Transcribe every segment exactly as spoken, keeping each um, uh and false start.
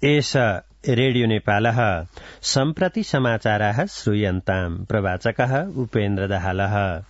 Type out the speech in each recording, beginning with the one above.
एष रेडियो नेपालः सम्प्रति समाचाराः श्रूयन्ताम्। प्रवाचकः उपेन्द्र दाहालः।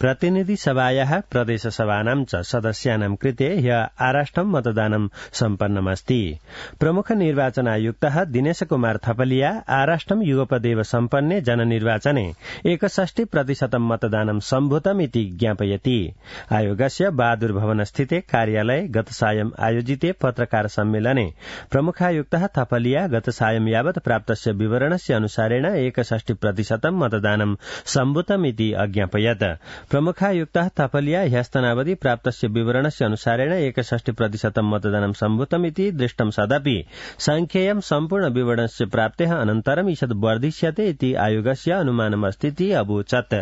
प्रतिनिधि सभायाः प्रदेश सभानां च सदस्यानां कृते ह्य आराष्टं मतदानं सम्पन्नमस्ति। प्रमुख निर्वाचन आयुक्तः दिनेश कुमार थपलिया आराष्टं युगपदेव सम्पन्ने जननिर्वाचने एकषष्टि प्रतिशतं मतदानं सम्भूतमिति ज्ञापयति। आयोगस्य बहादुर भवन स्थिते कार्यालये गत सायं आयोजिते पत्रकार सम्मेलने प्रमुखायुक्तः थपलिया गत सायं यावत् प्राप्तस्य विवरणस्य अनुसारेण एकषष्टि प्रतिशतं मतदानं सम्भूतमिति अज्ञापयत्। प्रमुखायुक्तः थपलिया ह्यस्तनावधि प्राप्तस्य विवरणस्य अनुसारेण एकषष्टि प्रतिशतं मतदानं सम्भूतमिति दृष्टं सदपि सांख्येयं सम्पूर्ण विवरणस्य प्राप्तेः अनन्तरं ईषद् वर्धिष्यते इति आयोगस्य अनुमानमस्तीति अवोचत्।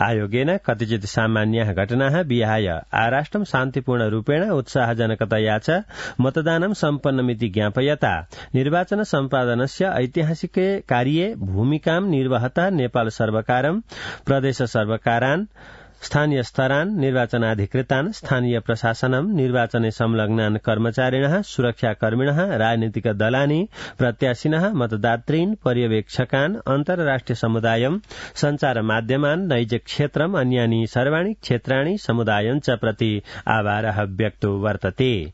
आयोगेन कतिचित् सामान्याः घटनाः विहाय आराष्टं शान्तिपूर्ण रूपेण उत्साहजनकतया च मतदानं सम्पन्नमिति ज्ञापयता निर्वाचन सम्पादनस्य ऐतिहासिके कार्ये भूमिकां निर्वहता नेपाल सर्वकारं, प्रदेश सर्वकारान्, स्थानीय स्तरान्, निर्वाचनाधिकृतान्, स्थानीय प्रशासनं, निर्वाचने संलग्नान् कर्मचारिणः, सुरक्षाकर्मिणः, राजनीतिक दलानि, प्रत्याशिनः, मतदातॄन्, पर्यवेक्षकान्, अन्तर्राष्ट्रिय समुदायं, संचार माध्यमान्, नैज क्षेत्रम्, अन्यानि सर्वाणि क्षेत्राणि समुदायं च प्रति आभारः व्यक्तो वर्तते।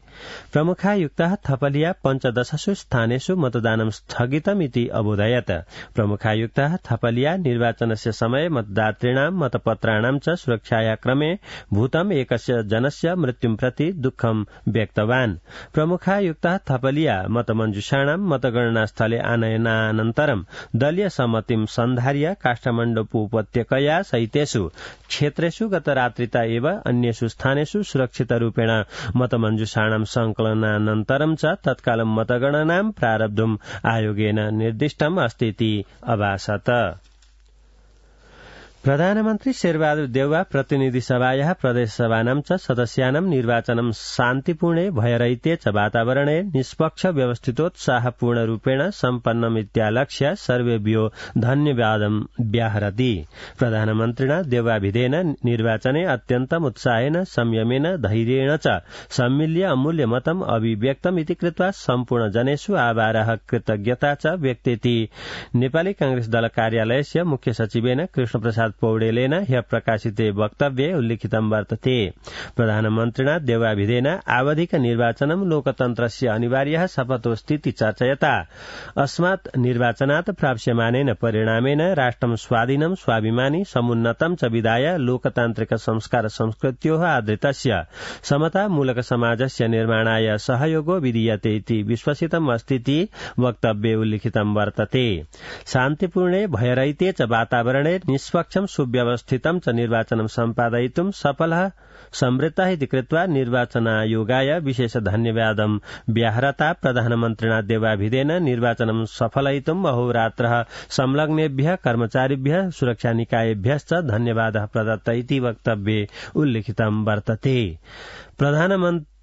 प्रमुखायुक्तः थपलिया पञ्चदशसु स्थानेषु मतदानं स्थगितमिति अबोधयत्। प्रमुखायुक्तः थपलिया निर्वाचनस्य समये मतदातॄणां मतपत्राणां च सुरक्षाया क्रमे भूतम् एकस्य जनस्य मृत्युं प्रति दुःखं व्यक्तवान्। प्रमुखायुक्तः थपलिया मतमञ्जुषाणां मतगणनास्थले आनयनानन्तरं दलीय सम्मतिं सन्धार्य काठमाडौँ उपत्यकया सहितेषु क्षेत्रेषु गतरात्रिता एव अन्येषु स्थानेषु सुरक्षितरूपेण मतमञ्जुषाणां संकलनानन्तरं च तत्कालं मतगणनां प्रारब्धुम् आयोगेन निर्दिष्टम् अस्तीति अभासत। प्रधानमन्त्री शेरबहादुर देउवा प्रतिनिधि सभायाः प्रदेश सभानां च सदस्यानां निर्वाचनं शान्तिपूर्णे भयरहिते च वातावरणे निष्पक्ष व्यवस्थितोत्साहपूर्ण रूपेण सम्पन्नमित्यालक्ष्य सर्वेभ्यो धन्यवादं व्याहरति। प्रधानमन्त्रिणा देउवाभिधेन निर्वाचने अत्यन्तम् उत्साहेन संयमेन धैर्येण च सम्मिल्य अमूल्य मतम् अभिव्यक्तमिति कृत्वा सम्पूर्ण जनेषु आभारः कृतज्ञता च व्यक्तेति नेपाली कांग्रेस दल कार्यालयस्य मुख्य सचिवेन कृष्णप्रसाद पौडेलेन ह्य प्रकाशिते वक्तव्ये उल्लिखितं वर्तते। प्रधानमन्त्रिणा देउवाभिधेन आवधिक निर्वाचनं लोकतन्त्रस्य अनिवार्यः शपथोऽस्तीति चर्चयता अस्मात् निर्वाचनात् प्राप्स्यमानेन परिणामेन राष्ट्रं स्वाधीनं स्वाभिमानी समुन्नतं च विधाय लोकतान्त्रिक संस्कार संस्कृत्योः आदृतस्य समतामूलक समाजस्य निर्माणाय सहयोगो विधीयते इति विश्वसितम् अस्तीति वक्तव्ये उल्लिखितं वर्तते। शान्तिपूर्णे भयरहिते च वातावरणे निष्पक्ष सुव्यवस्थितं च निर्वाचनं सम्पादयितुं सफलः समृद्धः इति कृत्वा निर्वाचनायोगाय विशेष धन्यवादं व्याहरता प्रधानमन्त्रिणा देउवाभिधेन निर्वाचनं सफलयितुं अहोरात्रः संलग्नेभ्यः कर्मचारिभ्यः सुरक्षानिकायेभ्यश्च धन्यवादः प्रदत्त इति वक्तव्ये उल्लिखितं वर्तते। प्रधानमन्त्री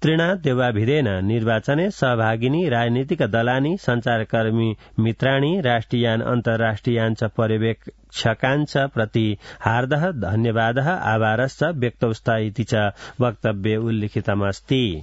त्रिणा देउवाभिधेन निर्वाचने सहभागिनी राजनीतिक दलानि, संचारकर्मी मित्राणि, राष्ट्रियान् अन्तर्राष्ट्रियान् च पर्यवेक्षकान् च प्रति हार्दः धन्यवादः आभारश्च व्यक्तौस्त इति च वक्तव्ये उल्लिखितमस्ति।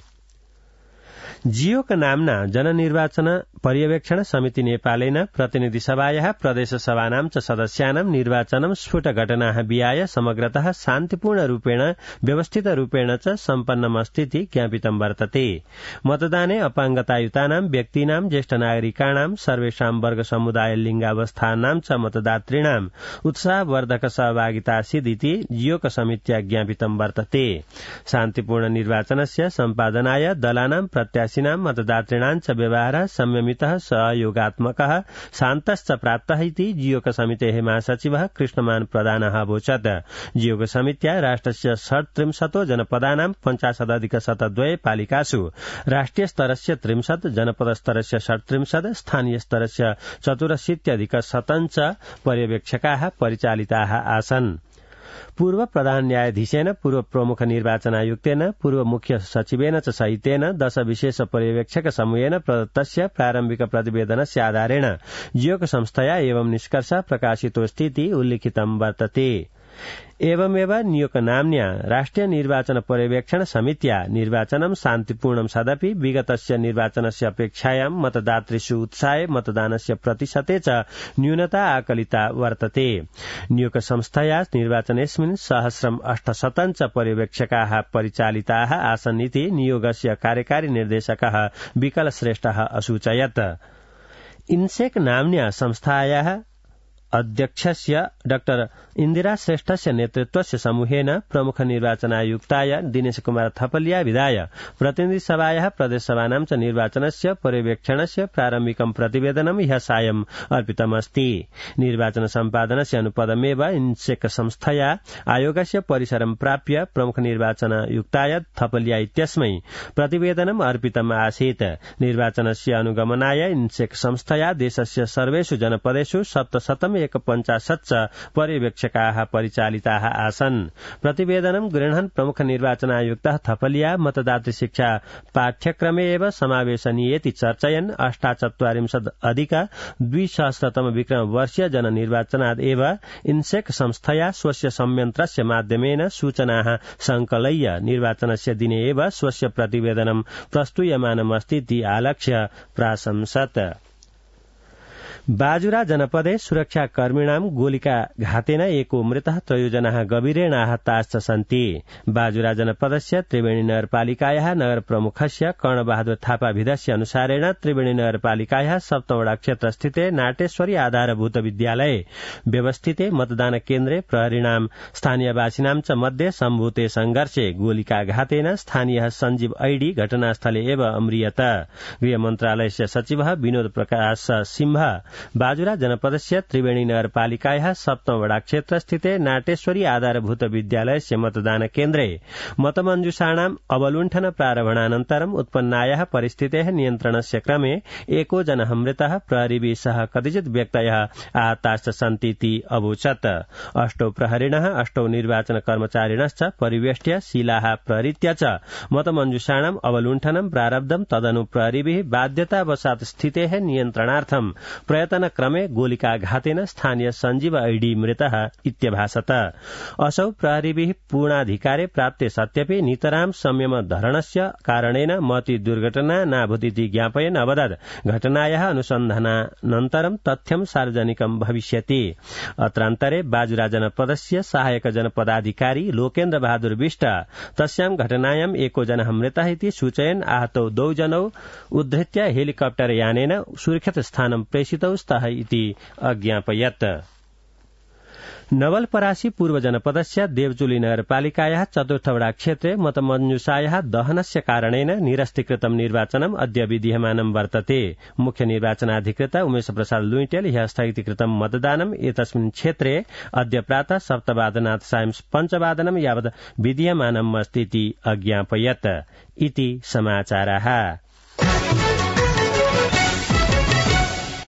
जियोक नाम्ना जननिर्वाचन पर्यवेक्षण समिति नेपालेन प्रतिनिधि सभायाः प्रदेश सभानां च सदस्यानां निर्वाचनं स्फुट घटनाः विहाय समग्रतः शान्तिपूर्ण रूपेण व्यवस्थित रूपेण च सम्पन्नमस्तीति ज्ञापितं वर्तते। मतदाने अपाङ्गतायुतानां व्यक्तीनां, ज्येष्ठ नागरिकाणां, सर्वेषां वर्ग समुदाय लिङ्गावस्थानां च मतदातॄणाम् उत्साहवर्धक सहभागिता आसीदिति जियोक समित्या ज्ञापितं वर्तते। शान्तिपूर्ण निर्वाचनस्य सम्पादनाय दलानां प्रत्याशिनां मतदातॄणां च व्यवहारः संयमितः सहयोगात्मकः शान्तश्च प्राप्तः इति जियोक समितेः महासचिवः कृष्णमान प्रधानः अवोचत्। जियोक समित्या राष्ट्रस्य षट्त्रिंशतो जनपदानां पञ्चाशदधिक शतद्वये पालिकासु राष्ट्रिय स्तरस्य त्रिंशत्, जनपद स्तरस्य षट्त्रिंशत्, स्थानीय स्तरस्य चतुरशीत्यधिक शतं च पर्यवेक्षकाः परिचालिताः आसन्। पूर्व प्रधान न्यायाधीशेन, पूर्व प्रमुख निर्वाचन आयुक्तेन, पूर्व मुख्य सचिवेन च सहितेन दश विशेष पर्यवेक्षक समूहेन प्रदत्तस्य प्रारम्भिक प्रतिवेदनस्य आधारेण जियोक संस्थया एवं निष्कर्ष प्रकाशितोऽस्तीति उल्लिखितं वर्तते। एवमेव नियोगनाम्न्या राष्ट्रिय निर्वाचन पर्यवेक्षण समित्या निर्वाचनं शान्तिपूर्णं सदपि विगतस्य निर्वाचनस्य अपेक्षायां मतदातृषु उत्साहे मतदानस्य प्रतिशते च न्यूनता आकलिता वर्तते। नियोग संस्थया निर्वाचनेऽस्मिन् सहस्रम् अष्टशतं च पर्यवेक्षकाः परिचालिताः आसन् इति नियोगस्य कार्यकारी निर्देशकः विकल श्रेष्ठः असूचयत्। इन्सेक नाम्न्या संस्थायाः अध्यक्षस्य डाक्टर इन्दिरा श्रेष्ठस्य नेतृत्वस्य समूहेन प्रमुख निर्वाचनायुक्ताय दिनेश कुमार थपलिया विधाय प्रतिनिधि सभायाः प्रदेशसभानां च निर्वाचनस्य पर्यवेक्षणस्य प्रारम्भिकं प्रतिवेदनं ह्यः सायं अर्पितमस्ति। निर्वाचन सम्पादनस्य अनुपदमेव इन्सेक संस्थया आयोगस्य परिसरं प्राप्य प्रमुख निर्वाचनायुक्ताय थपलिया इत्यस्मै प्रतिवेदनम् अर्पितम् आसीत्। निर्वाचनस्य अनुगमनाय इन्सेक संस्थया देशस्य सर्वेषु जनपदेषु सप्तशतम् एक पञ्चाशत् च पर्यवेक्षकाः परिचालिताः आसन्। प्रतिवेदनं गृह्णन् प्रमुख निर्वाचनायुक्तः थपलिया मतदातृ शिक्षा पाठ्यक्रमे एव समावेशनीयेति चर्चयन् अष्टाचत्वारिंशत् अधिक द्विसहस्रतम विक्रम वर्षीय जननिर्वाचनाद् एव इन्सेक संस्थया स्वस्य संयन्त्रस्य माध्यमेन सूचनाः संकलय्य निर्वाचनस्य दिने एव स्वस्य प्रतिवेदनं प्रस्तूयमानमस्तीति आलक्ष्य प्राशंसत्। बाजुरा जनपदे सुरक्षाकर्मिणां गोलिकाघातेन एको मृतः त्रयोजनाः गभीरेण आहताश्च सन्ति। बाजुरा जनपदस्य त्रिवेणी नगरपालिकायाः नगरप्रमुखस्य कर्णबहादुर थापाभिधस्य अनुसारेण त्रिवेणी नगरपालिकायाः सप्तवडा क्षेत्रस्थिते नाटेश्वरी आधारभूत विद्यालये व्यवस्थिते मतदान केन्द्रे प्रहरीणां स्थानीयवासिनां च मध्ये सम्भूते संघर्षे गोलिकाघातेन स्थानीयः सञ्जीव ऐडी घटनास्थले एव अम्रियत। गृहमन्त्रालयस्य सचिवः विनोद प्रकाश सिंह बाजुरा जनपदस्य त्रिवेणी नगरपालिकायाः सप्तमवडा क्षेत्रस्थिते नाटेश्वरी आधारभूत विद्यालयस्य मतदान केन्द्रे मतमञ्जूषाणाम् अवलुण्ठन प्रारम्भानन्तरम् उत्पन्नायाः परिस्थितेः नियन्त्रणस्य क्रमे एको जनः मृतः प्रहरीभिः सह कतिचित् व्यक्तयः आहताश्च सन्तीति अवोचत्। अष्टौ प्रहरिणः अष्टौ निर्वाचन कर्मचारिणश्च परिवेष्ट्य शिलाः प्रहरीत्य च मतमञ्जूषाणाम् अवलुण्ठनं प्रारब्धं। तदनु प्रहरीभिः बाध्यतावशात् स्थितेः नियन्त्रणार्थं प्रयतन क्रमे गोलिकाघातेन स्थानीय सञ्जीव ऐडी मृतः इत्यभासत। असौ प्रहरीभिः पूर्णाधिकारे प्राप्ते सत्यपि नितरां संयम धरणस्य कारणेन महती दुर्घटना नाभूतिति ज्ञापयन् अवदत् घटनायाः अनुसन्धानानन्तरं तथ्यं सार्वजनिकं भविष्यति। अत्रान्तरे बाजुरा जनपदस्य सहायक जनपदाधिकारी लोकेन्द्र बहादुर विष्ट तस्यां घटनायां एको जनः मृतः इति सूचयन् आहतौ द्वौ जनौ उद्धृत्य हेलिकप्टर यानेन सुरक्षित स्थानं प्रेषितौ स्तः इति अज्ञापयत्। नवलपरासी पूर्व जनपदस्य देवचुली नगरपालिकायाः चतुर्थवडा क्षेत्रे मतमञ्जूषायाः दहनस्य कारणेन निरस्तीकृतं निर्वाचनम् अद्य विधीयमानं वर्तते। मुख्य निर्वाचनाधिकृत उमेश प्रसाद लुइटेल ह्यः स्थगितीकृतं मतदानम् एतस्मिन् क्षेत्रे अद्य प्रातः सप्तवादनात् सायं पञ्चवादनं यावत् विधीयमानम् अस्तीति अज्ञापयत्। इति समाचाराः।